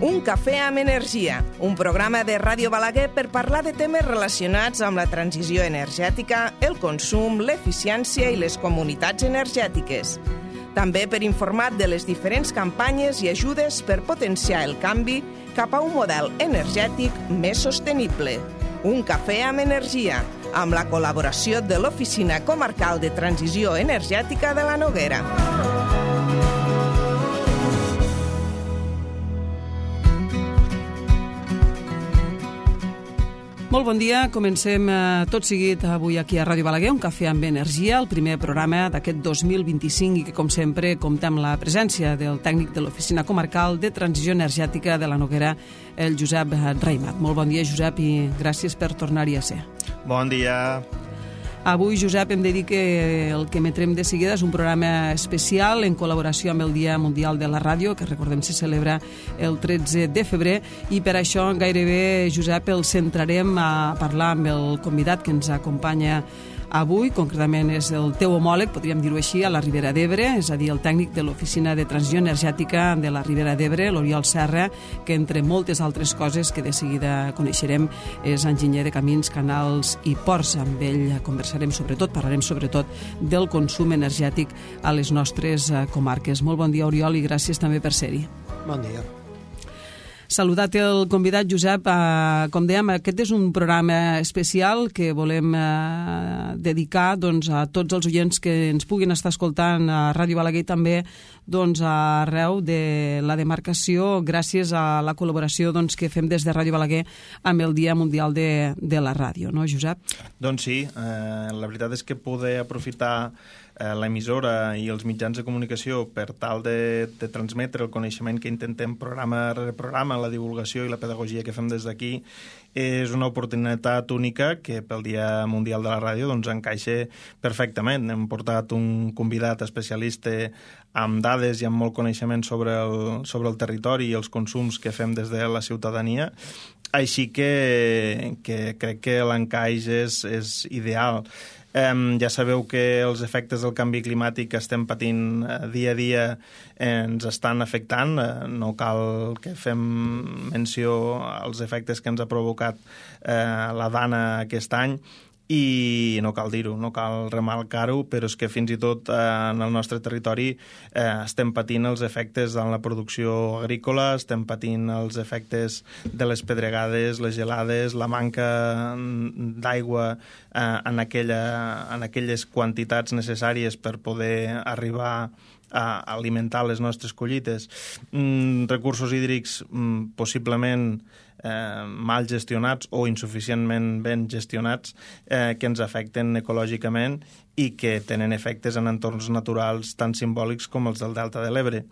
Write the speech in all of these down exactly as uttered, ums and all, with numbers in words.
Un cafè amb energia, un programa de Ràdio Balaguer per parlar de temes relacionats amb la transició energètica, el consum, l'eficiència i les comunitats energètiques. També per informar de les diferents campanyes i ajudes per potenciar el canvi cap a un model energètic més sostenible. Un cafè amb energia, amb la col·laboració de l'Oficina Comarcal de Transició Energètica de la Noguera. Molt bon dia, comencem eh, tot seguit avui aquí a Ràdio Balaguer, un cafè amb energia, el primer programa d'aquest dos mil vint-i-cinc i que, com sempre, compta amb la presència del tècnic de l'Oficina Comarcal de Transició Energètica de la Noguera, el Josep Raimat. Molt bon dia, Josep, i gràcies per tornar-hi a ser. Bon dia. Avui, Josep, hem de dir que el que emetrem de seguida és un programa especial en col·laboració amb el Dia Mundial de la Ràdio, que recordem se celebra el tretze de febrer, i per això gairebé, Josep, el centrarem a parlar amb el convidat que ens acompanya avui. Concretament és el teu homòleg, podríem dir-ho així, a la Ribera d'Ebre, és a dir, el tècnic de l'Oficina de Transició Energètica de la Ribera d'Ebre, l'Oriol Serra, que entre moltes altres coses que de seguida coneixerem és enginyer de camins, canals i ports. Amb ell conversarem sobretot, parlarem sobretot del consum energètic a les nostres comarques. Molt bon dia, Oriol, i gràcies també per ser-hi. Bon dia. Saludat el convidat, Josep. Eh, com dèiem, aquest és un programa especial que volem eh, dedicar doncs, a tots els oients que ens puguin estar escoltant a Ràdio Balaguer i també doncs, arreu de la demarcació, gràcies a la col·laboració doncs, que fem des de Ràdio Balaguer amb el Dia Mundial de, de la Ràdio, no, Josep? Doncs sí, eh, la veritat és que poder aprofitar l'emissora i els mitjans de comunicació per tal de, de transmetre el coneixement que intentem programa rere programa, la divulgació i la pedagogia que fem des d'aquí, és una oportunitat única que pel Dia Mundial de la Ràdio doncs, encaixa perfectament. Hem portat un convidat especialista amb dades i amb molt coneixement sobre el, sobre el territori i els consums que fem des de la ciutadania, així que, que crec que l'encaix és, és ideal. Um, ja sabeu que els efectes del canvi climàtic que estem patint uh, dia a dia eh, ens estan afectant. Uh, no cal que fem menció als efectes que ens ha provocat uh, la Dana aquest any, i no cal dir-ho, no cal remarcar-ho, però és que fins i tot eh, en el nostre territori eh, estem patint els efectes en la producció agrícola, estem patint els efectes de les pedregades, les gelades, la manca d'aigua eh, en, aquella, en aquelles quantitats necessàries per poder arribar a alimentar les nostres collites. Mm, recursos hídrics mm, possiblement eh, mal gestionats o insuficientment ben gestionats eh, que ens afecten ecològicament i que tenen efectes en entorns naturals tan simbòlics com els del Delta de l'Ebre.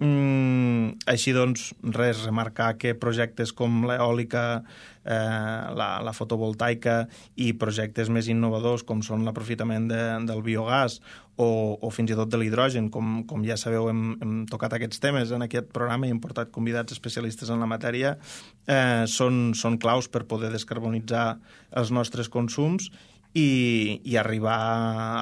Mm, així doncs, res, remarcar que projectes com l'eòlica, eh, la, la fotovoltaica i projectes més innovadors com són l'aprofitament de, del biogàs o, o fins i tot de l'hidrogen, com, com ja sabeu hem, hem tocat aquests temes en aquest programa i hem portat convidats especialistes en la matèria, eh, són, són claus per poder descarbonitzar els nostres consums I, i arribar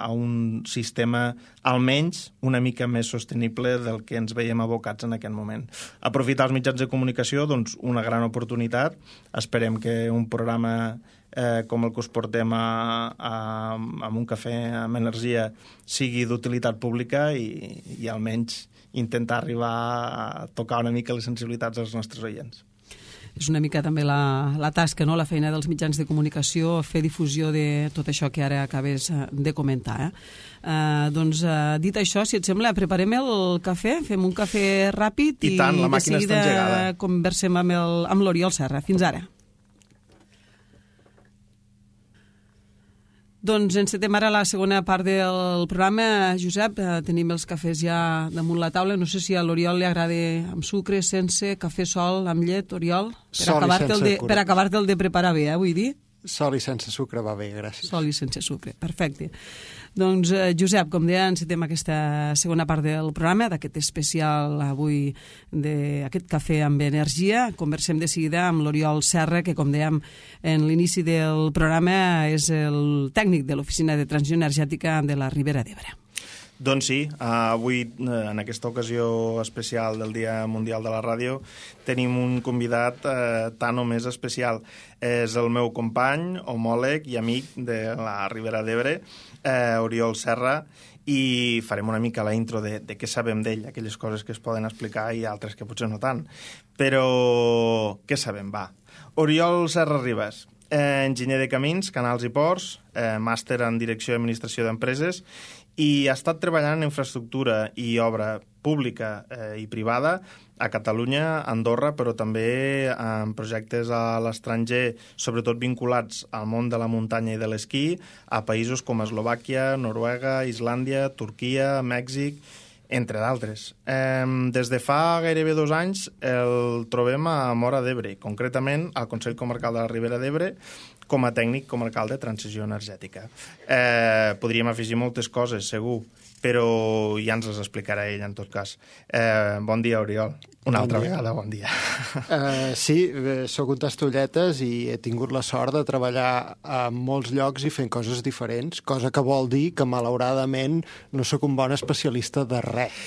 a un sistema almenys una mica més sostenible del que ens veiem abocats en aquest moment. Aprofitar els mitjans de comunicació, doncs una gran oportunitat. Esperem que un programa eh, com el que us portem a, a, a un cafè amb energia sigui d'utilitat pública i, i almenys intentar arribar a tocar una mica les sensibilitats dels nostres oients. És una mica també la, la tasca, no? La feina dels mitjans de comunicació, fer difusió de tot això que ara acabes de comentar. Eh? Uh, doncs, uh, dit això, si et sembla, preparem el cafè, fem un cafè ràpid i, i tant, la màquina de està engegada. Conversem amb, el, amb l'Oriol Serra. Fins ara. Doncs encetem ara la segona part del programa. Josep, eh, tenim els cafès ja damunt la taula. No sé si a l'Oriol li agrada amb sucre, sense, cafè sol, amb llet, Oriol? Per Sol i acabar-te'l sense de, per acabar-te'l de preparar bé, eh, vull dir? Sol i sense sucre va bé, gràcies. Sol i sense sucre, perfecte. Doncs, eh, Josep, com deia, encetem aquesta segona part del programa, d'aquest especial avui, d'aquest cafè amb energia. Conversem de seguida amb l'Oriol Serra, que, com dèiem en l'inici del programa, és el tècnic de l'Oficina de Transició Energètica de la Ribera d'Ebre. Doncs sí, avui, en aquesta ocasió especial del Dia Mundial de la Ràdio, tenim un convidat eh, tan o més especial. És el meu company, homòleg i amic de la Ribera d'Ebre, eh, Oriol Serra, i farem una mica la intro de, de què sabem d'ell, aquelles coses que es poden explicar i altres que potser no tant. Però què sabem? Va. Oriol Serra Ribas, eh, enginyer de camins, canals i ports, eh, màster en direcció i administració d'empreses, i ha estat treballant en infraestructura i obra pública eh, i privada a Catalunya, a Andorra, però també en projectes a l'estranger, sobretot vinculats al món de la muntanya i de l'esquí, a països com Eslovàquia, Noruega, Islàndia, Turquia, Mèxic, entre d'altres. Eh, des de fa gairebé dos anys el trobem a Móra d'Ebre, concretament al Consell Comarcal de la Ribera d'Ebre, com a tècnic comarcal de transició energètica. Eh, podríem afegir moltes coses, segur, però ja ens les explicarà ell, en tot cas. Eh, bon dia, Oriol. Una bon altra dia. vegada, bon dia. Uh, sí, soc un tastolletes i he tingut la sort de treballar a molts llocs i fent coses diferents, cosa que vol dir que, malauradament, no sóc un bon especialista de res.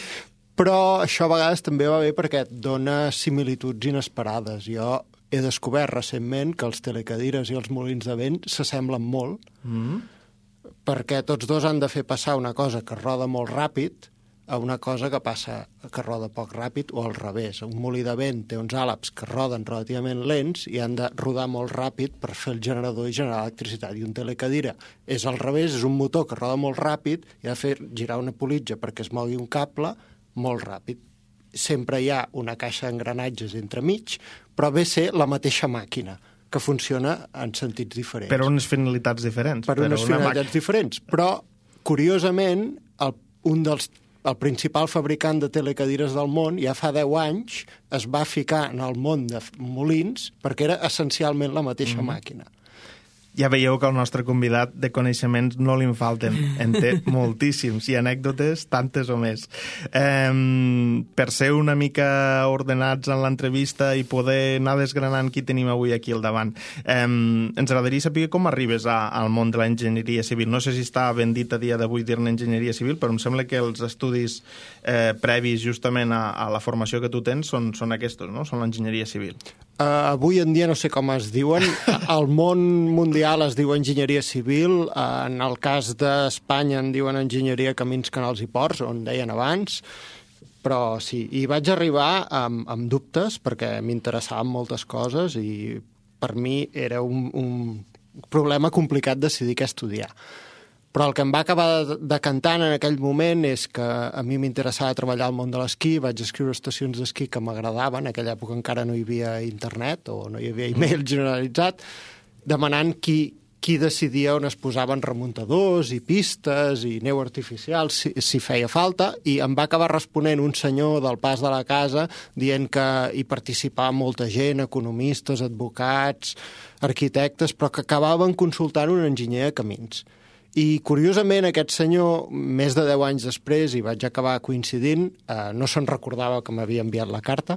Però això a vegades també va bé perquè et dona similituds inesperades. Jo he descobert recentment que els telecadires i els molins de vent s'assemblen molt, mm. perquè tots dos han de fer passar una cosa que roda molt ràpid a una cosa que passa que roda poc ràpid o al revés. Un molí de vent té uns àleps que roden relativament lents i han de rodar molt ràpid per fer el generador i generar electricitat. I un telecadira és al revés, és un motor que roda molt ràpid i ha de fer girar una politja perquè es mogui un cable molt ràpid. Sempre hi ha una caixa d'engranatges entremig, però ve ser la mateixa màquina, que funciona en sentits diferents. Per unes finalitats diferents. Per unes finalitats màquina. diferents. Però, curiosament, el, un dels, el principal fabricant de telecadires del món, ja fa deu anys, es va ficar en el món de molins perquè era essencialment la mateixa mm. màquina. Ja veieu que el nostre convidat de coneixements no li en falten, en té moltíssims, i anècdotes tantes o més. Eh, per ser una mica ordenats en l'entrevista i poder anar desgranant qui tenim avui aquí al davant, eh, ens agradaria saber com arribes a, al món de l'enginyeria civil. No sé si està ben dit a dia d'avui dir-ne enginyeria civil, però em sembla que els estudis eh, previs justament a, a la formació que tu tens són, són aquests, no? Són l'enginyeria civil. Uh, avui en dia no sé com es diuen. Al món mundial es diu enginyeria civil, uh, en el cas d'Espanya en diuen enginyeria camins, canals i ports, on deien abans, però sí, i vaig arribar amb, amb dubtes perquè m'interessaven moltes coses i per mi era un, un problema complicat decidir què estudiar. Però el que em va acabar decantant en aquell moment és que a mi m'interessava treballar al món de l'esquí, vaig escriure estacions d'esquí que m'agradaven, en aquella època encara no hi havia internet o no hi havia e-mail generalitzat, demanant qui, qui decidia on es posaven remuntadors i pistes i neu artificial, si, si feia falta, i em va acabar responent un senyor del Pas de la Casa dient que hi participava molta gent, economistes, advocats, arquitectes, però que acabaven consultant un enginyer de camins. I, curiosament, aquest senyor, més de deu anys després, i vaig acabar coincidint, eh, no se'n recordava que m'havia enviat la carta,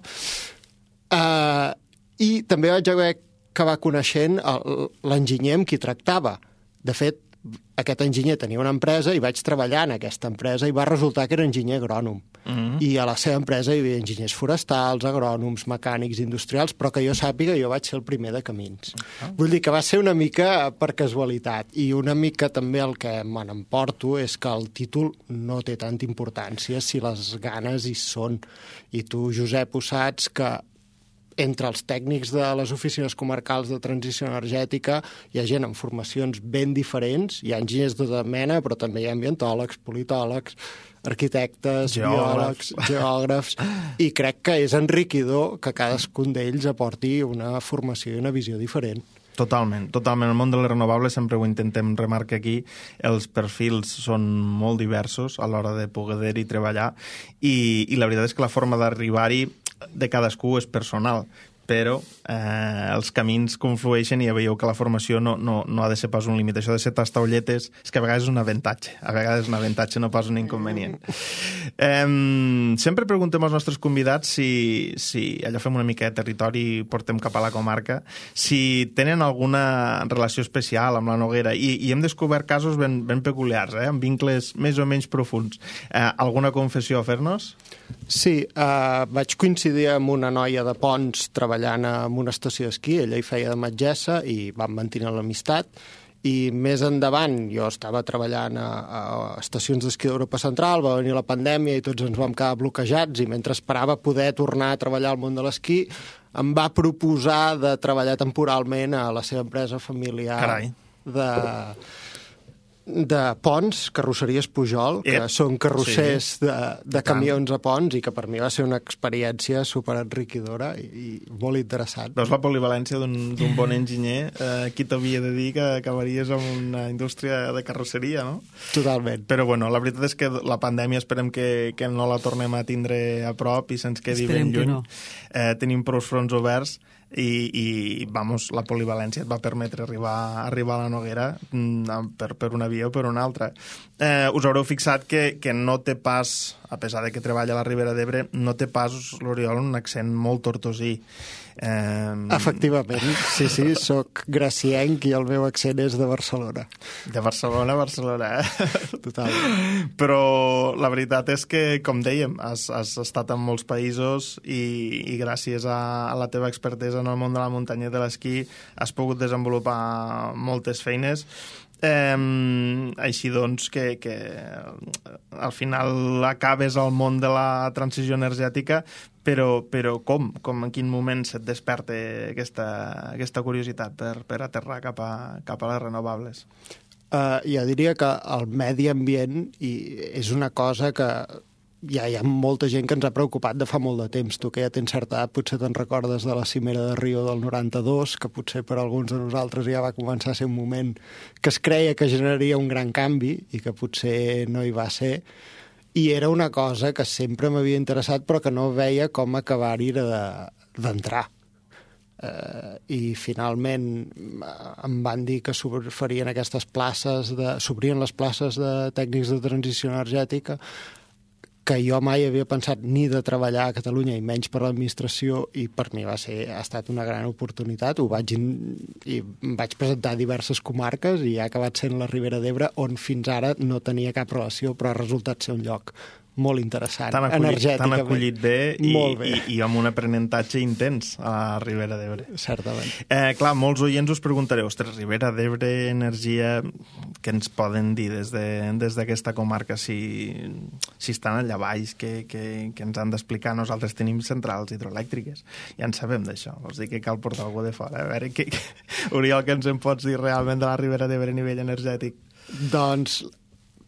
eh, i també vaig haver acabar coneixent l'enginyer amb qui tractava. De fet, aquest enginyer tenia una empresa i vaig treballar en aquesta empresa i va resultar que era enginyer agrònom. Mm-hmm. I a la seva empresa hi havia enginyers forestals, agrònoms, mecànics, industrials, però que jo sàpiga jo vaig ser el primer de camins. Ah. Vull dir que va ser una mica per casualitat i una mica també el que me n'emporto és que el títol no té tanta importància si les ganes hi són. I tu, Josep, ho saps que entre els tècnics de les oficines comarcals de transició energètica hi ha gent amb formacions ben diferents, hi ha enginyers de tota mena, però també hi ha ambientòlegs, politòlegs, arquitectes, geòlegs, geògrafs, i crec que és enriquidor que cadascun d'ells aporti una formació i una visió diferent. Totalment, totalment. El món de les renovables sempre ho intentem remarcar aquí. Els perfils són molt diversos a l'hora de poder-hi treballar i, i la veritat és que la forma d'arribar-hi de cadascú és personal. però eh, els camins conflueixen i ja veieu que la formació no, no, no ha de ser pas un límit. Això de ser tastaulletes és que a vegades és un avantatge, a vegades és un avantatge, no pas un inconvenient. Eh, sempre preguntem als nostres convidats si, si allò fem una mica de territori i portem cap a la comarca, si tenen alguna relació especial amb la Noguera, i, i hem descobert casos ben, ben peculiars, eh, amb vincles més o menys profuns. Eh, alguna confessió a fer-nos? Sí, eh, vaig coincidir amb una noia de Ponts treballant en una estació d'esquí, ella hi feia de metgessa i vam mantenir l'amistat, i més endavant jo estava treballant a, a estacions d'esquí d'Europa Central, va venir la pandèmia i tots ens vam quedar bloquejats, i mentre esperava poder tornar a treballar al món de l'esquí em va proposar de treballar temporalment a la seva empresa familiar. Carai. de... de Ponts, carrosseries Pujol, que Ep. són carrossers Sí. de, de camions a Ponts, i que per mi va ser una experiència superenriquidora i, i molt interessant. Veus la polivalència d'un bon enginyer? Eh, qui t'havia de dir que acabaries amb una indústria de carrosseria, no? Totalment. Però bueno, la veritat és que la pandèmia esperem que, que no la tornem a tindre a prop i se'ns quedi Esperem ben lluny. que no. Eh, tenim prou fronts oberts i, i vamos, la polivalència et va permetre arribar, arribar a la Noguera mm, per, per una via o per una altra. Eh, us haureu fixat que, que no té pas, a pesar de que treballa a la Ribera d'Ebre, no té pas l'Oriol un accent molt tortosí. Eh... Efectivament, sí, sí, soc gracienc i el meu accent és de Barcelona. De Barcelona a Barcelona, eh? Totalment. Però la veritat és que, com dèiem, has, has estat en molts països i, i gràcies a, a la teva expertesa en el món de la muntanya i de l'esquí has pogut desenvolupar moltes feines. Eh, així doncs que, que al final acabes al món de la transició energètica, però, però com? com? En quin moment se't desperta aquesta, aquesta curiositat per, per aterrar cap a, cap a les renovables? Uh, jo diria que el medi ambient i és una cosa que ja hi ha molta gent que ens ha preocupat de fa molt de temps. Tu, que ja tens certa edat, potser te'n recordes de la cimera de Rio del noranta-dos, que potser per alguns de nosaltres ja va començar a ser un moment que es creia que generaria un gran canvi i que potser no hi va ser. I era una cosa que sempre m'havia interessat però que no veia com acabar-hi d'entrar. Uh, i finalment em van dir que s'oferien aquestes places, de, s'obrien les places de tècnics de transició energètica, que jo mai havia pensat ni de treballar a Catalunya i menys per l'administració, i per mi va ser, ha estat una gran oportunitat. Ho vaig, in, i em vaig presentar a diverses comarques i ha acabat sent la Ribera d'Ebre, on fins ara no tenia cap relació, però ha resultat ser un lloc molt interessant, t'han acollit, energèticament. T'han acollit bé i, bé. i, i amb un aprenentatge intens a la Ribera d'Ebre. Certament. Eh, clar, molts oients us preguntareu, ostres, Ribera d'Ebre, energia, què ens poden dir des d'aquesta de, comarca? Si, si estan allà baix, què, què, què ens han d'explicar? Nosaltres tenim centrals hidroelèctriques, ja en sabem d'això, vols dir que cal portar algú de fora. A veure, què, què, Oriol, què ens en pots dir realment de la Ribera d'Ebre a nivell energètic? Doncs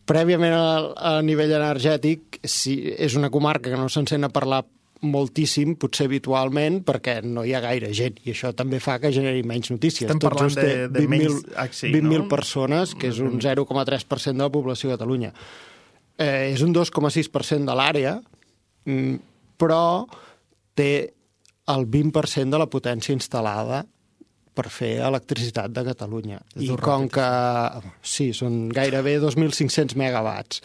prèviament a, a nivell energètic, si és una comarca que no se'n sent a parlar moltíssim, potser habitualment, perquè no hi ha gaire gent, i això també fa que generi menys notícies. Estem Tot parlant just de, de menys... Sí, vint mil no? persones, que és un zero coma tres per cent de la població de Catalunya. Eh, és un dos coma sis per cent de l'àrea, però té el vint per cent de la potència instal·lada per fer electricitat de Catalunya. I com que... Sí, són gairebé dos mil cinc-cents megawatts.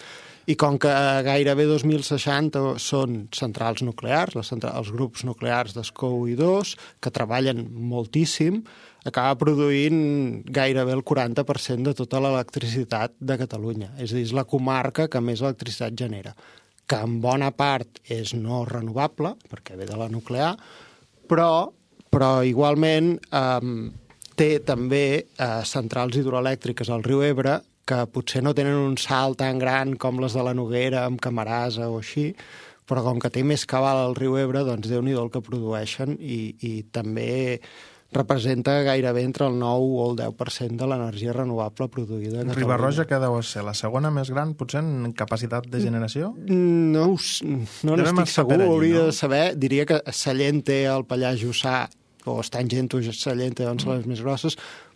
I com que gairebé dos mil seixanta són centrals nuclears, les centrals, els grups nuclears d'Escou i dos, que treballen moltíssim, acaba produint gairebé el quaranta per cent de tota l'electricitat de Catalunya. És a dir, és la comarca que més electricitat genera, que en bona part és no renovable, perquè ve de la nuclear, però però igualment eh, té també eh, centrals hidroelèctriques al riu Ebre que potser no tenen un salt tan gran com les de la Noguera amb Camarasa o així, però com que té més cabal al riu Ebre, doncs Déu-n'hi-do el que produeixen i, i també representa gairebé entre el nou o el deu per cent de l'energia renovable produïda a Catalunya. Riba-roja què deu ser? La segona més gran, potser, en capacitat de generació? No, no n'estic segur, allí, hauria no? de saber. Diria que Sallent té el Pallars Jussà, o Estany Gento, Sallent, doncs són les més grosses,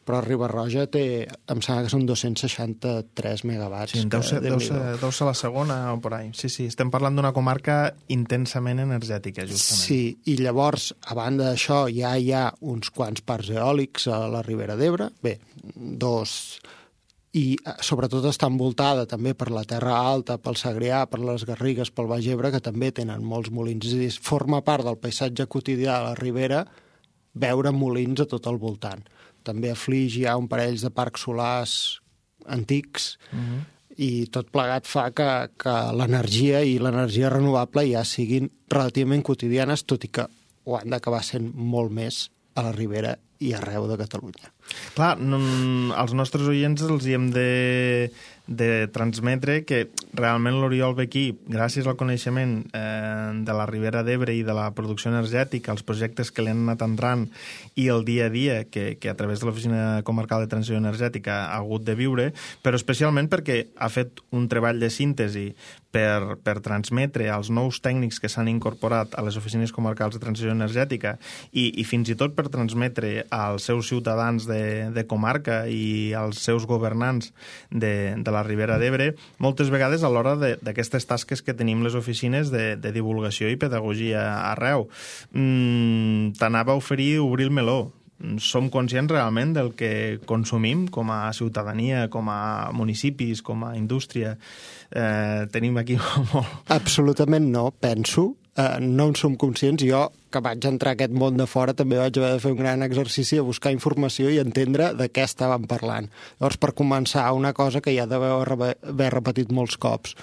però Riba-roja té, em sembla que són dos-cents seixanta-tres megawatts. Sí, deu ser, deu, ser, deu ser la segona o por ahí. Sí, sí, estem parlant d'una comarca intensament energètica, justament. Sí, i llavors, a banda d'això, ja hi ha uns quants parcs eòlics a la Ribera d'Ebre, bé, dos... i sobretot està envoltada també per la Terra Alta, pel Segrià, per les Garrigues, pel Baix Ebre, que també tenen molts molins. És a dir, forma part del paisatge quotidià de la Ribera veure molins a tot el voltant. També a Flix hi ha un parell de parcs solars antics, uh-huh. i tot plegat fa que, que l'energia i l'energia renovable ja siguin relativament quotidianes, tot i que ho han d'acabar sent molt més a la Ribera i arreu de Catalunya. Clar, no, als nostres oients els hi hem de, de transmetre que realment l'Oriol ve aquí, gràcies al coneixement eh, de la Ribera d'Ebre i de la producció energètica, els projectes que li han anat entrant i el dia a dia que, que a través de l'Oficina Comarcal de Transició Energètica ha hagut de viure, però especialment perquè ha fet un treball de síntesi per, per transmetre als nous tècnics que s'han incorporat a les oficines comarcals de transició energètica i, i fins i tot per transmetre als seus ciutadans de, de comarca i als seus governants de, de la Ribera d'Ebre, moltes vegades a l'hora d'aquestes tasques que tenim les oficines de, de divulgació i pedagogia arreu. Mm, T'anava a oferir obrir el meló. Som conscients realment del que consumim com a ciutadania, com a municipis, com a indústria? Eh, tenim aquí molt... Absolutament no, penso. Uh, no en som conscients. Jo, que vaig entrar a aquest món de fora, també vaig haver de fer un gran exercici de buscar informació i entendre de què estàvem parlant. Llavors, per començar, una cosa que ja deveu haver repetit molts cops.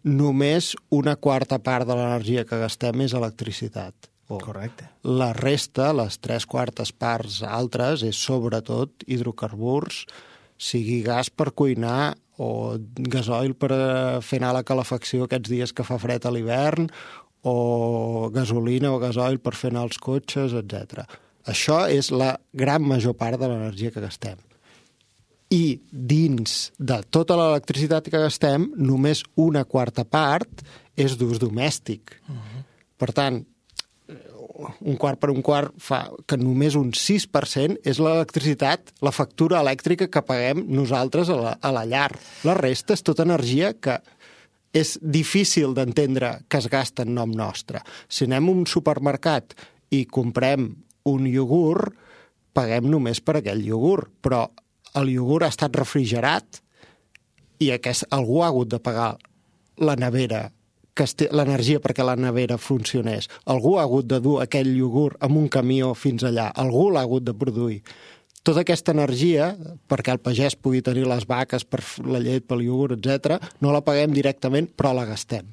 Només una quarta part de l'energia que gastem és electricitat. Correcte. La resta, les tres quartes parts altres, és sobretot hidrocarburs, sigui gas per cuinar o gasoil per fer anar la calefacció aquests dies que fa fred a l'hivern, o gasolina o gasoil per fer anar els cotxes, etcètera. Això és la gran major part de l'energia que gastem. I dins de tota l'electricitat que gastem, només una quarta part és d'ús domèstic. Uh-huh. Per tant, un quart per un quart fa que només un sis per cent és l'electricitat, la factura elèctrica que paguem nosaltres a la, a la llar. La resta és tota energia que és difícil d'entendre que es gasta en nom nostre. Si anem a un supermercat i comprem un iogurt, paguem només per aquell iogurt, però el iogurt ha estat refrigerat i aquest, algú ha hagut de pagar la nevera, l'energia perquè la nevera funcionés. Algú ha hagut de dur aquell iogurt amb un camió fins allà. Algú l'ha hagut de produir. Tota aquesta energia, perquè el pagès pugui tenir les vaques per la llet, pel iogurt, etcètera, no la paguem directament, però la gastem.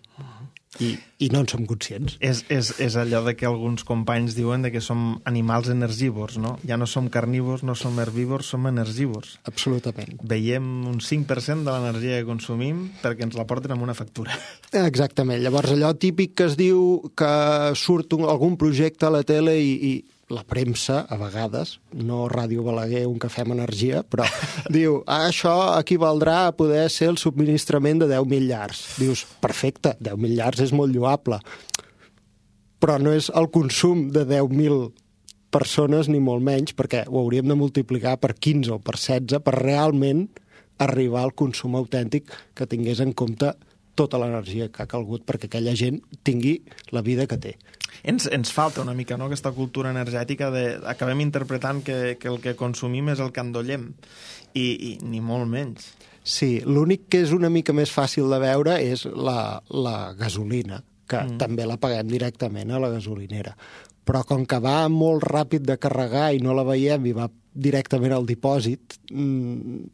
I, i no en som conscients. És, és, és allò de que alguns companys diuen de que som animals energívors, no? Ja no som carnívors, no som herbívors, som energívors. Absolutament. Veiem un cinc per cent de l'energia que consumim perquè ens la porten amb una factura. Exactament. Llavors, allò típic que es diu que surt un, algun projecte a la tele i, i la premsa, a vegades, no Ràdio Balaguer, un cafè amb energia, però diu, ah, això equivaldrà a poder ser el subministrament de deu mil llars. Dius, perfecte, deu mil llars és molt lloable, però no és el consum de deu mil persones ni molt menys, perquè ho hauríem de multiplicar per quinze o per setze per realment arribar al consum autèntic que tingués en compte tota l'energia que ha calgut perquè aquella gent tingui la vida que té. Ens, ens falta una mica, no?, aquesta cultura energètica de... Acabem interpretant que, que el que consumim és el que endollem, i, i ni molt menys. Sí, l'únic que és una mica més fàcil de veure és la, la gasolina, que mm. també la paguem directament a la gasolinera. Però com que va molt ràpid de carregar i no la veiem i va directament al dipòsit, mmm,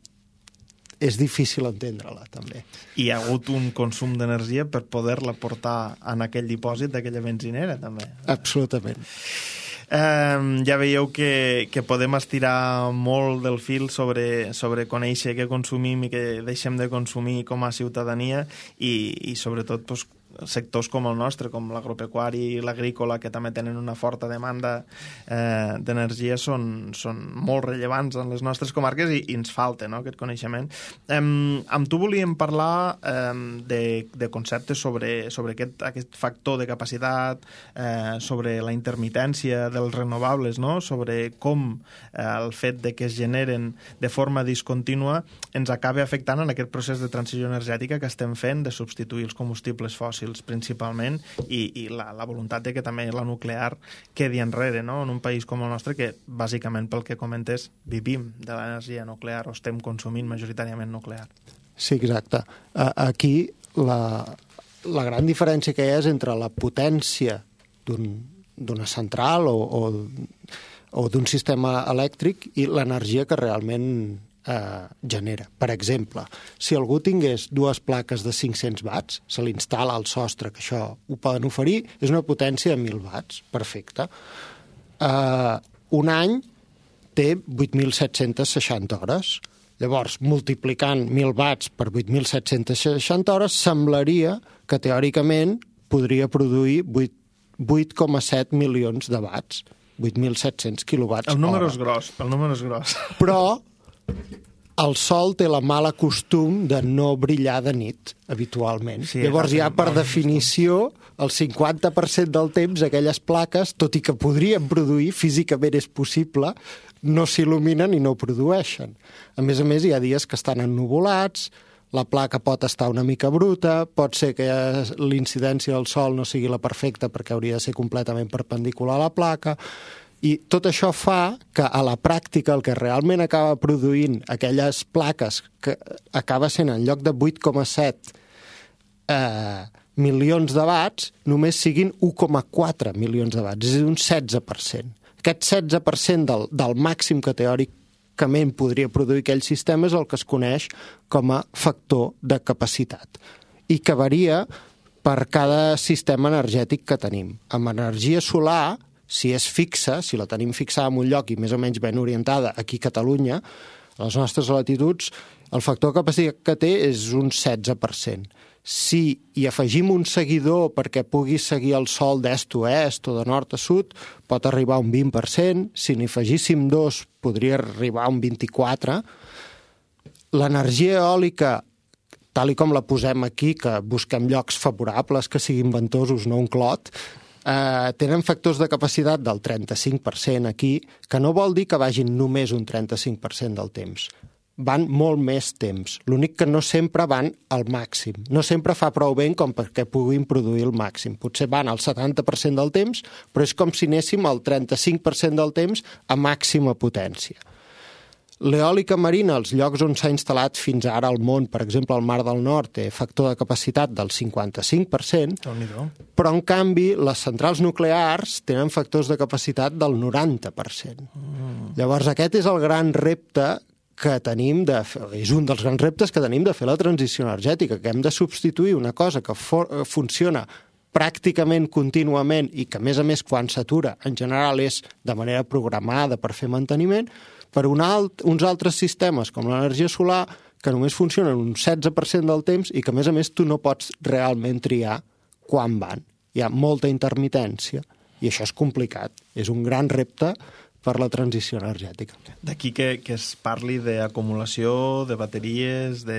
és difícil entendre-la, també. I hi ha hagut un consum d'energia per poder-la portar en aquell dipòsit d'aquella benzinera, també. Absolutament. Eh, ja veieu que, que podem estirar molt del fil sobre, sobre conèixer què consumim i què deixem de consumir com a ciutadania i, i sobretot, pues, sectors com el nostre, com l'agropecuari i l'agrícola, que també tenen una forta demanda eh, d'energia, són, són molt rellevants en les nostres comarques i, i ens falta, no?, aquest coneixement. Eh, amb tu volíem parlar eh, de, de conceptes sobre, sobre aquest, aquest factor de capacitat, eh, sobre la intermitència dels renovables, no?, sobre com eh, el fet de que es generen de forma discontínua ens acaba afectant en aquest procés de transició energètica que estem fent de substituir els combustibles fòssils principalment i, i la, la voluntat de que també la nuclear quedi enrere, no?, en un país com el nostre que bàsicament pel que comentes vivim de l'energia nuclear o estem consumint majoritàriament nuclear. Sí, exacte. Aquí la, la gran diferència que hi ha és entre la potència d'una central o, o, o d'un sistema elèctric i l'energia que realment eh, genera. Per exemple, si algú tingués dues plaques de cinc-cents watts, se li instal·la al sostre, que això ho poden oferir, és una potència de mil watts, perfecte. Eh, un any té vuit mil set-cents seixanta hores. Llavors, multiplicant mil watts per vuit mil set-cents seixanta hores, semblaria que teòricament podria produir vuit coma set milions de watts, vuit mil set-cents quilowatts hora. El número és gros, el número és gros. Però el sol té la mala costum de no brillar de nit, habitualment. Sí, llavors ja, per definició, el cinquanta per cent del temps aquelles plaques, tot i que podrien produir, físicament és possible, no s'il·luminen i no produeixen. A més a més, hi ha dies que estan ennuvolats, la placa pot estar una mica bruta, pot ser que l'incidència del sol no sigui la perfecta perquè hauria de ser completament perpendicular a la placa, i tot això fa que a la pràctica el que realment acaba produint aquelles plaques que acaba sent en lloc de vuit coma set eh, milions de watts, només siguin u coma quatre milions de watts, és a dir, un setze per cent. Aquest setze per cent del, del màxim que teòricament podria produir aquell sistema és el que es coneix com a factor de capacitat i que varia per cada sistema energètic que tenim. Amb energia solar, si és fixa, si la tenim fixada en un lloc i més o menys ben orientada aquí a Catalunya, a les nostres latituds, el factor de capacitat que té és un setze per cent. Si hi afegim un seguidor perquè pugui seguir el sol d'est a oest o de nord a sud, pot arribar a un vint per cent. Si n'hi afegíssim dos, podria arribar a un vint-i-quatre per cent. L'energia eòlica, tal i com la posem aquí, que busquem llocs favorables, que siguin ventosos, no un clot, eh, tenen factors de capacitat del trenta-cinc per cent aquí, que no vol dir que vagin només un trenta-cinc per cent del temps. Van molt més temps. L'únic que no sempre van al màxim. No sempre fa prou vent com perquè puguin produir el màxim. Potser van al setanta per cent del temps, però és com si anéssim al trenta-cinc per cent del temps a màxima potència. L'eòlica marina, als llocs on s'ha instal·lat fins ara al món, per exemple, al Mar del Nord, té factor de capacitat del cinquanta-cinc per cent, però, en canvi, les centrals nuclears tenen factors de capacitat del noranta per cent. Mm. Llavors, aquest és el gran repte que tenim de fer, és un dels grans reptes que tenim de fer la transició energètica, que hem de substituir una cosa que for, funciona pràcticament contínuament i que, a més a més, quan s'atura, en general és de manera programada per fer manteniment, per un alt, uns altres sistemes, com l'energia solar, que només funcionen un setze per cent del temps i que, a més a més, tu no pots realment triar quan van. Hi ha molta intermitència i això és complicat. És un gran repte per la transició energètica. D'aquí que, que es parli d'acumulació, de bateries, de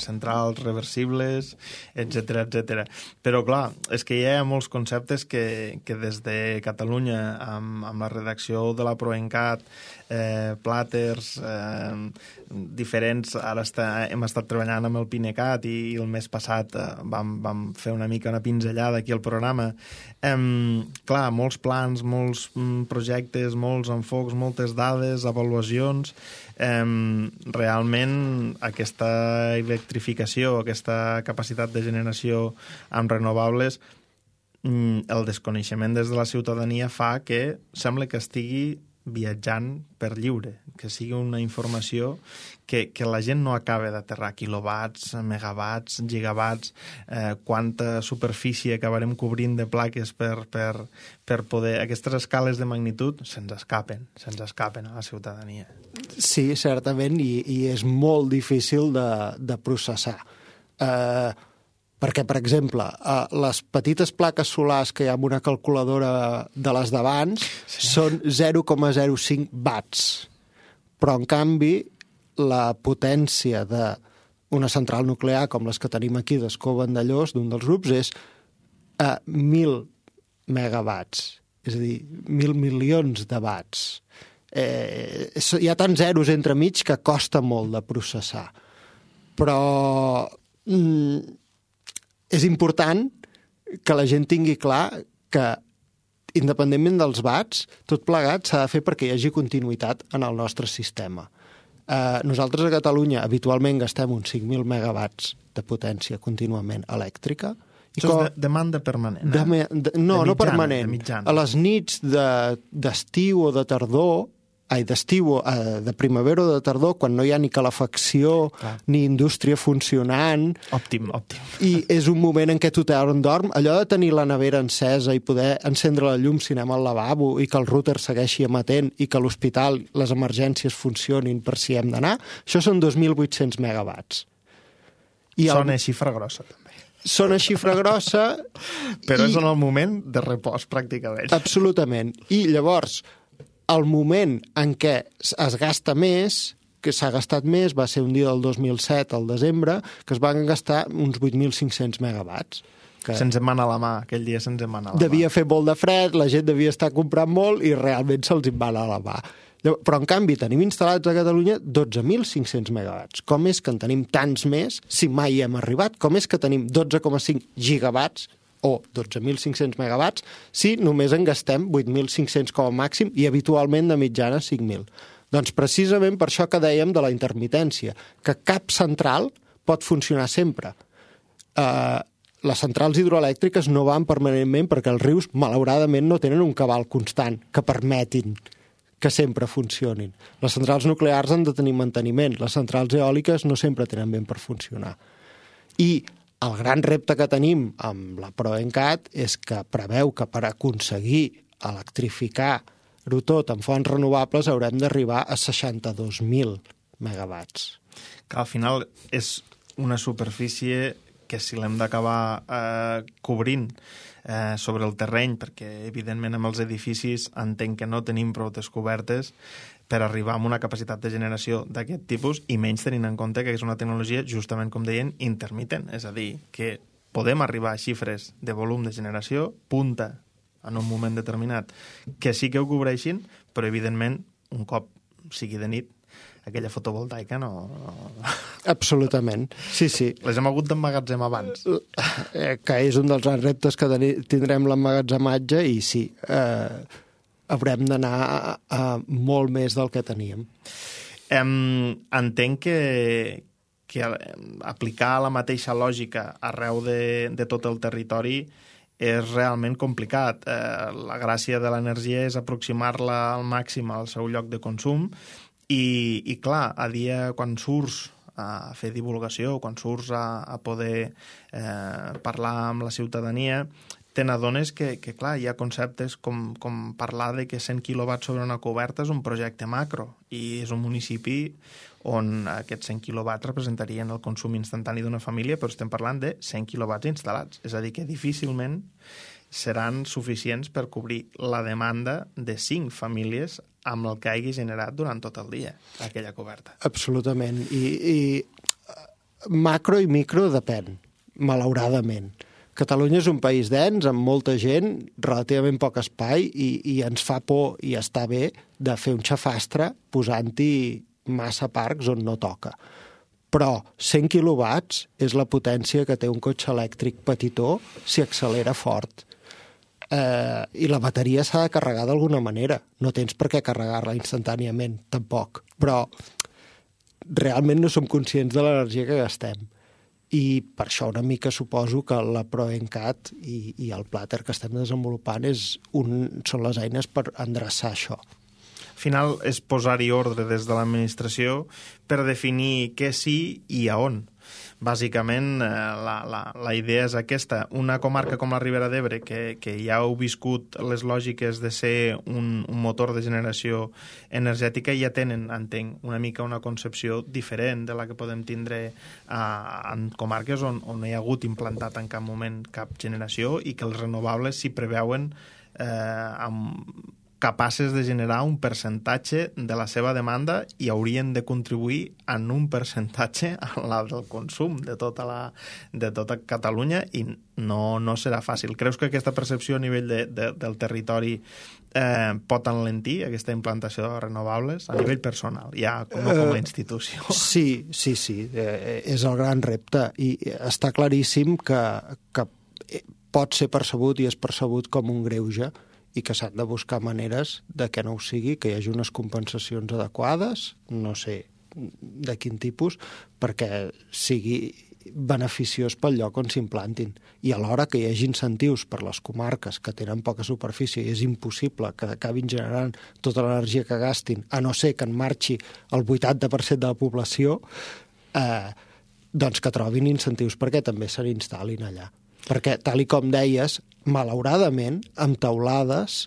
centrals reversibles, etcètera, etcètera. Però, clar, és que hi ha molts conceptes que, que des de Catalunya, amb, amb la redacció de la PROENCAT, eh, plàters, eh, diferents, ara està, hem estat treballant amb el PINECAT i, i el mes passat eh, vam, vam fer una mica una pinzellada aquí al programa. Eh, clar, molts plans, molts mm, projectes, molts enfocs, moltes dades, avaluacions. Eh, realment aquesta electrificació, aquesta capacitat de generació amb renovables, mm, el desconeixement des de la ciutadania fa que sembla que estigui viatjant per lliure, que sigui una informació que, que la gent no acaba d'aterrar quilowatts, megawatts, gigawatts, eh, quanta superfície acabarem cobrint de plaques per, per, per poder... Aquestes escales de magnitud se'ns escapen, se'ns escapen a la ciutadania. Sí, certament, i, i és molt difícil de, de processar. Eh, Perquè, per exemple, les petites plaques solars que hi ha en una calculadora de les d'abans sí. són zero coma zero cinc watts. Però, en canvi, la potència d'una central nuclear com les que tenim aquí d'Escó Vandellós, d'un dels grups, és a mil megawatts. És a dir, mil milions de watts. Eh, hi ha tants zeros entremig que costa molt de processar. Però mm, és important que la gent tingui clar que, independentment dels watts, tot plegat s'ha de fer perquè hi hagi continuïtat en el nostre sistema. Eh, nosaltres a Catalunya habitualment gastem uns cinc mil megawatts de potència contínuament elèctrica. Això com... és de demanda permanent, eh? De, de, no, de mitjana, no permanent. A les nits d'estiu de, o de tardor, ai, d'estiu, de primavera o de tardor, quan no hi ha ni calefacció, clar, ni indústria funcionant. Òptim, òptim. I és un moment en què tothom dorm. Allò de tenir la nevera encesa i poder encendre la llum si anem al lavabo i que el router segueixi emetent i que l'hospital, les emergències funcionin per si hem d'anar, això són dos mil vuit-cents megawatts. I Sona el... xifra grossa, també. Sona xifra grossa... Però i... és en el moment de repòs, pràcticament. Absolutament. I llavors... el moment en què es gasta més, que s'ha gastat més, va ser un dia del dos mil set, al desembre, que es van gastar uns vuit mil cinc-cents megawatts. Que se'ns en mana a la mà, aquell dia se'ns en mana a la devia mà. Devia fer molt de fred, la gent devia estar comprant molt i realment se'ls en mana a la mà. Però, en canvi, tenim instal·lats a Catalunya dotze mil cinc-cents megawatts. Com és que en tenim tants més si mai hem arribat? Com és que tenim dotze coma cinc gigawatts o dotze mil cinc-cents megawatts, si només en gastem vuit mil cinc-cents com a màxim i habitualment de mitjana cinc mil. Doncs precisament per això que dèiem de la intermitència, que cap central pot funcionar sempre. Uh, les centrals hidroelèctriques no van permanentment perquè els rius, malauradament, no tenen un cabal constant que permetin que sempre funcionin. Les centrals nuclears han de tenir manteniment, les centrals eòliques no sempre tenen ben per funcionar. I el gran repte que tenim amb la PROENCAT és que preveu que per aconseguir electrificar-ho tot amb fonts renovables haurem d'arribar a seixanta-dos mil megawatts. Que al final és una superfície que si l'hem d'acabar eh, cobrint eh, sobre el terreny, perquè evidentment amb els edificis entenc que no tenim prou descobertes per arribar a una capacitat de generació d'aquest tipus i menys tenint en compte que és una tecnologia, justament com deien, intermitent. És a dir, que podem arribar a xifres de volum de generació, punta en un moment determinat, que sí que ho cobreixin, però evidentment, un cop sigui de nit, aquella fotovoltaica no... Absolutament, sí, sí. Les hem hagut d'emmagatzemar abans. Que és un dels grans reptes que tindrem l'emmagatzematge i sí, eh, haurem d'anar a, a molt més del que teníem. Um, entenc que, que aplicar la mateixa lògica arreu de, de tot el territori és realment complicat. Eh, la gràcia de l'energia és aproximar-la al màxim al seu lloc de consum i, i clar, a dia quan surts a fer divulgació, quan surts a, a poder eh, parlar amb la ciutadania, te n'adones que, que, clar, hi ha conceptes com, com parlar de que cent quilowatts sobre una coberta és un projecte macro i és un municipi on aquests cent quilowatts representarien el consum instantani d'una família, però estem parlant de cent quilowatts instal·lats. És a dir, que difícilment seran suficients per cobrir la demanda de cinc famílies amb el que hagi generat durant tot el dia aquella coberta. Absolutament. I, i macro i micro depèn, malauradament. Catalunya és un país dens, amb molta gent, relativament poc espai, i, i ens fa por i està bé de fer un xafastre posant-hi massa parcs on no toca. Però cent quilowatts és la potència que té un cotxe elèctric petitó si accelera fort. Eh, I la bateria s'ha de carregar d'alguna manera. No tens per què carregar-la instantàniament, tampoc. Però realment no som conscients de l'energia que gastem. I per això una mica suposo que la PROENCAT i, i el plàter que estem desenvolupant és un, són les eines per endreçar això. Al final és posar-hi ordre des de l'administració per definir què sí i a on. bàsicament, eh, la, la, la idea és aquesta. Una comarca com la Ribera d'Ebre, que, que ja heu viscut les lògiques de ser un, un motor de generació energètica, ja tenen, entenc, una mica una concepció diferent de la que podem tindre a, en comarques on, on no hi ha hagut implantat en cap moment cap generació i que els renovables s'hi preveuen eh, amb capaces de generar un percentatge de la seva demanda i haurien de contribuir en un percentatge a la del consum de tota, la, de tota Catalunya i no, no serà fàcil. Creus que aquesta percepció a nivell de, de, del territori eh, pot enlentir aquesta implantació de renovables a nivell personal, ja no com a institució? Uh, sí, sí, sí, eh, és el gran repte i està claríssim que, que pot ser percebut i és percebut com un greuge i que s'han de buscar maneres de que no ho sigui, que hi hagi unes compensacions adequades, no sé de quin tipus, perquè sigui beneficiós pel lloc on s'implantin. I alhora que hi hagi incentius per les comarques que tenen poca superfície i és impossible que acabin generant tota l'energia que gastin, a no ser que en marxi el vuitanta per cent de la població, eh, doncs que trobin incentius perquè també se n'instal·lin allà. Perquè, tal i com deies, malauradament, amb teulades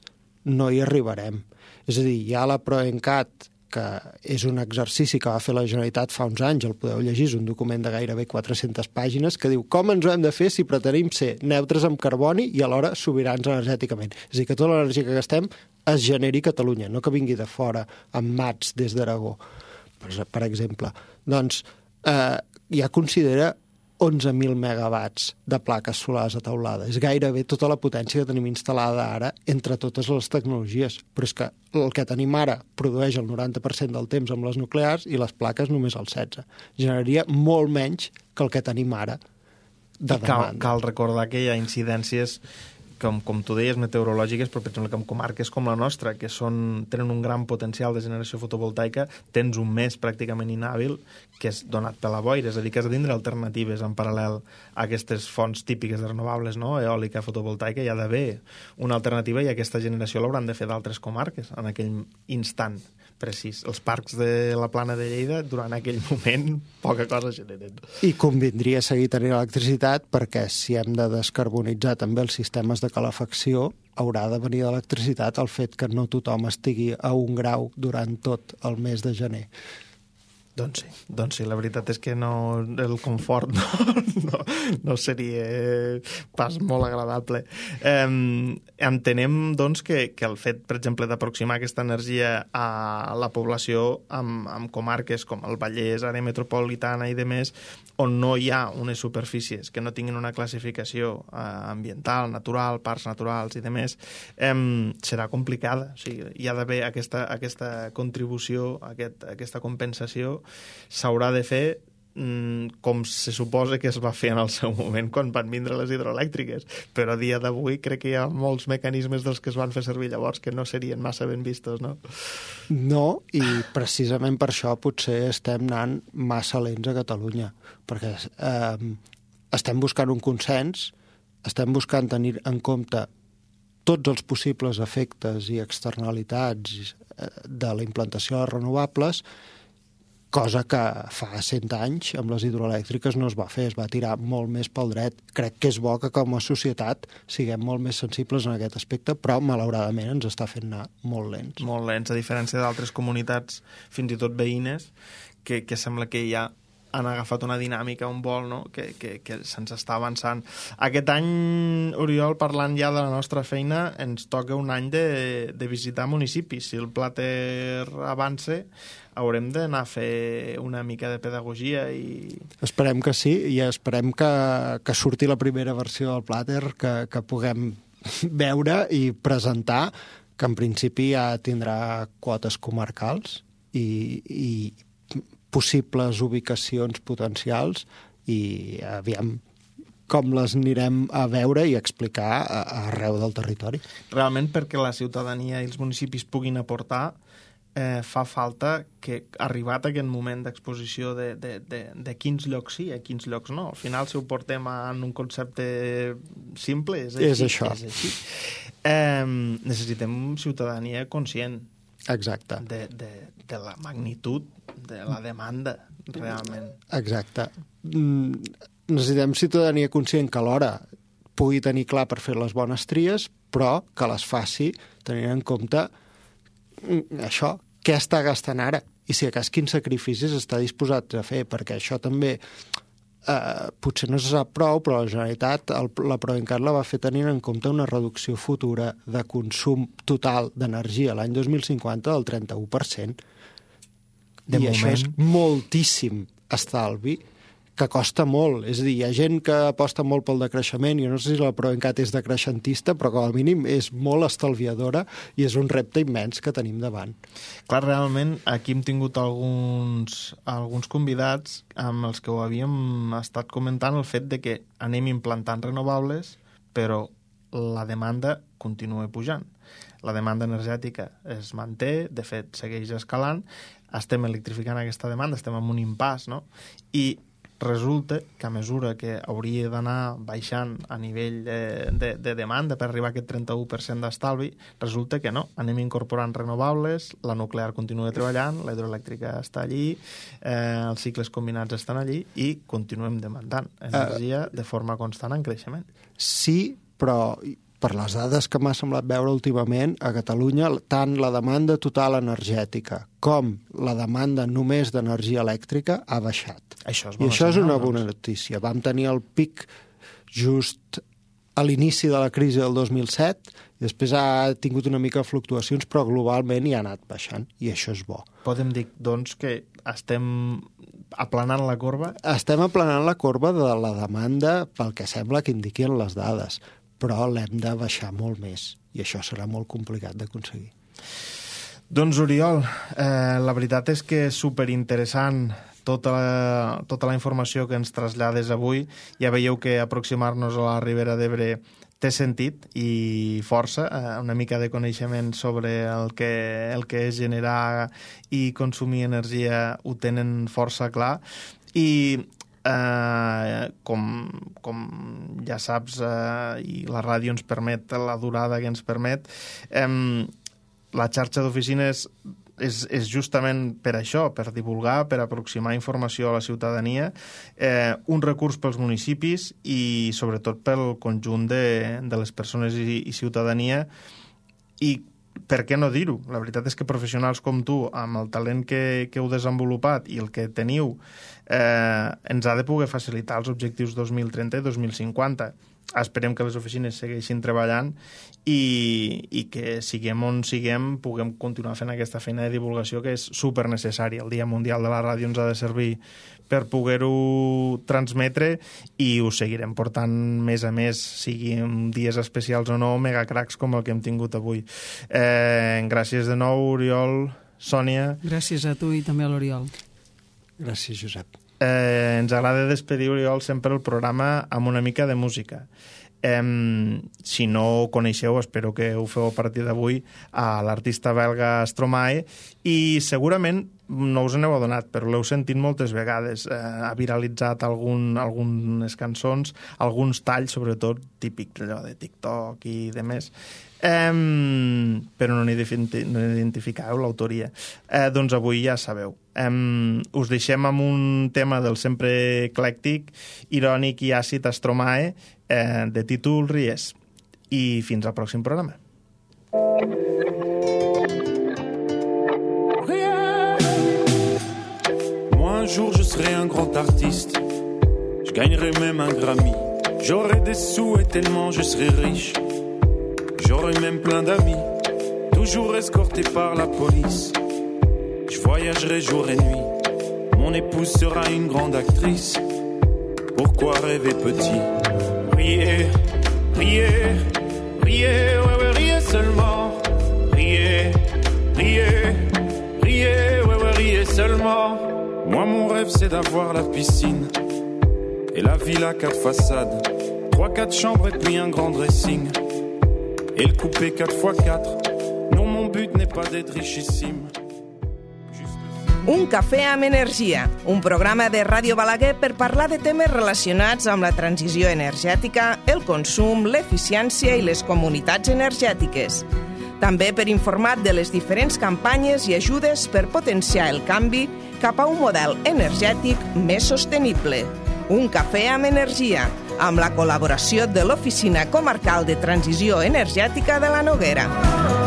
no hi arribarem. És a dir, hi ha la PROENCAT, que és un exercici que va fer la Generalitat fa uns anys, el podeu llegir, és un document de gairebé quatre-centes pàgines, que diu com ens ho hem de fer si pretenim ser neutres amb carboni i alhora sobirans energèticament. És a dir, que tota l'energia que gastem es generi a Catalunya, no que vingui de fora, amb mats des d'Aragó, per exemple. Doncs eh, ja considera onze mil megawatts de plaques solars a teulada. És gairebé tota la potència que tenim instal·lada ara entre totes les tecnologies. Però és que el que tenim ara produeix el noranta per cent del temps amb les nuclears i les plaques només el setze per cent. Generaria molt menys que el que tenim ara de demanda. Cal, cal recordar que hi ha incidències com, com tu deies, meteorològiques, però per exemple que en comarques com la nostra, que són, tenen un gran potencial de generació fotovoltaica, tens un mes pràcticament inhàbil que és donat per la boira, és a dir, que has de tindre alternatives en paral·lel a aquestes fonts típiques de renovables, no? Eòlica, fotovoltaica, hi ha d'haver una alternativa i aquesta generació l'hauran de fer d'altres comarques en aquell instant precís. Els parcs de la Plana de Lleida, durant aquell moment, poca cosa generen. I convindria seguir tenint electricitat perquè si hem de descarbonitzar també els sistemes de calefacció, haurà de venir d'electricitat el fet que no tothom estigui a un grau durant tot el mes de gener. Doncs sí, doncs sí, la veritat és que no, el confort no, no, no seria pas molt agradable. Eh, entenem, doncs, que, que el fet, per exemple, d'aproximar aquesta energia a la població amb, amb comarques com el Vallès, àrea metropolitana i demés, on no hi ha unes superfícies que no tinguin una classificació eh, ambiental, natural, parcs naturals i demés, eh, serà complicada. O sigui, hi ha d'haver aquesta, aquesta contribució, aquest, aquesta compensació s'haurà de fer mmm, com se suposa que es va fer en el seu moment quan van vindre les hidroelèctriques, però a dia d'avui crec que hi ha molts mecanismes dels que es van fer servir llavors que no serien massa ben vistos, no? No, i precisament per això potser estem anant massa lents a Catalunya, perquè eh, estem buscant un consens, estem buscant tenir en compte tots els possibles efectes i externalitats de la implantació de renovables, cosa que fa cent anys amb les hidroelèctriques no es va fer, es va tirar molt més pel dret. Crec que és bo que com a societat siguem molt més sensibles en aquest aspecte, però malauradament ens està fent anar molt lents. Molt lents, a diferència d'altres comunitats, fins i tot veïnes, que, que sembla que ja han agafat una dinàmica, un vol, no? que, que, que se'ns està avançant. Aquest any, Oriol, parlant ja de la nostra feina, ens toca un any de, de visitar municipis. Si el Plater avança, haurem d'anar a fer una mica de pedagogia i... Esperem que sí, i esperem que, que surti la primera versió del Plater, que, que puguem veure i presentar, que en principi ja tindrà quotes comarcals i, i possibles ubicacions potencials i aviam com les anirem a veure i explicar a, a arreu del territori. Realment, perquè la ciutadania i els municipis puguin aportar, eh, fa falta que, arribat aquest moment d'exposició de, de, de, de quins llocs sí, a quins llocs no. Al final, si ho portem en un concepte simple, és així. És això. És així. Eh, necessitem ciutadania conscient. Exacte. De, de, de la magnitud de la demanda realment. Exacte. Necessitem ciutadania conscient que alhora pugui tenir clar per fer les bones tries, però que les faci tenint en compte això, què està gastant ara i si a cas quins sacrificis està disposat a fer, perquè això també eh, potser no se sap prou, però la Generalitat, el, la Proencat la va fer tenint en compte una reducció futura de consum total d'energia l'any dos mil cinquanta del trenta-u per cent. De I moment... això és moltíssim estalvi, que costa molt. És a dir, hi ha gent que aposta molt pel decreixement, jo no sé si la Proencat és decreixentista, però com a mínim és molt estalviadora i és un repte immens que tenim davant. Clar, realment, aquí hem tingut alguns, alguns convidats amb els que ho havíem estat comentant el fet de que anem implantant renovables, però la demanda continua pujant. La demanda energètica es manté, de fet, segueix escalant, estem electrificant aquesta demanda, estem en un impàs, no? I resulta que a mesura que hauria d'anar baixant a nivell de, de, de demanda per arribar a aquest trenta-u per cent d'estalvi, resulta que no. Anem incorporant renovables, la nuclear continua treballant, la hidroelèctrica està allí, eh, els cicles combinats estan allí i continuem demandant energia uh, de forma constant en creixement. Sí, però per les dades que m'ha semblat veure últimament, a Catalunya tant la demanda total energètica com la demanda només d'energia elèctrica ha baixat. Això és I això és una doncs. bona notícia. Vam tenir el pic just a l'inici de la crisi del dos mil set i després ha tingut una mica de fluctuacions, però globalment hi ha anat baixant, i això és bo. Podem dir, doncs, que estem aplanant la corba? Estem aplanant la corba de la demanda pel que sembla que indiquen les dades, però l'hem de baixar molt més, i això serà molt complicat d'aconseguir. Doncs, Oriol, eh, la veritat és que és superinteressant tota la, tota la informació que ens trasllades avui. Ja veieu que aproximar-nos a la Ribera d'Ebre té sentit i força, eh, una mica de coneixement sobre el que, el que és generar i consumir energia ho tenen força clar. I Uh, com, com ja saps, uh, i la ràdio ens permet, la durada que ens permet, um, la xarxa d'oficines és, és justament per això, per divulgar, per aproximar informació a la ciutadania, eh, un recurs pels municipis i sobretot pel conjunt de, de les persones i, i ciutadania. I per què no dir-ho? La veritat és que professionals com tu, amb el talent que, que heu desenvolupat i el que teniu, eh, ens ha de poder facilitar els objectius dos mil trenta i dos mil cinquanta. Esperem que les oficines segueixin treballant i, i que siguem on siguem puguem continuar fent aquesta feina de divulgació que és supernecessària. El Dia Mundial de la Ràdio ens ha de servir per poder-ho transmetre i ho seguirem portant més a més, siguin dies especials o no, megacracs com el que hem tingut avui. Eh, gràcies de nou, Oriol, Sònia. Gràcies a tu i també a l'Oriol. Gràcies, Josep. Eh, ens agrada despedir, Oriol, sempre el programa amb una mica de música. Eh, si no ho coneixeu, espero que ho feu a partir d'avui, a l'artista belga Stromae, i segurament no us n'heu adonat, però l'heu sentit moltes vegades. Eh, ha viralitzat algun, algunes cançons, alguns talls, sobretot típics allò de TikTok i de més. Um, però no n'identificàveu l'autoria. Eh, doncs avui ja sabeu. Um, us deixem amb un tema del sempre eclèctic, irònic i àcid Stromae, eh, de títol Ries. I fins al pròxim programa. Moi un jour je serai un grand artiste, je gagnerai même un Grammy, j'aurai des sous et tellement je serai riche. J'aurai même plein d'amis, toujours escortés par la police. Je voyagerai jour et nuit, mon épouse sera une grande actrice. Pourquoi rêver petit? Riez, riez, riez, ouais ouais riez seulement. Riez, riez, riez, ouais ouais riez seulement. Moi mon rêve c'est d'avoir la piscine et la villa quatre façades, trois quatre chambres et puis un grand dressing. Et le coupé quatre fois quatre. Non, mon but n'est pas d'être richissime. Un cafè amb energia, un programa de Ràdio Balaguer per parlar de temes relacionats amb la transició energètica, el consum, l'eficiència i les comunitats energètiques. També per informar de les diferents campanyes i ajudes per potenciar el canvi cap a un model energètic més sostenible. Un cafè amb energia, amb la col·laboració de l'Oficina Comarcal de Transició Energètica de la Noguera.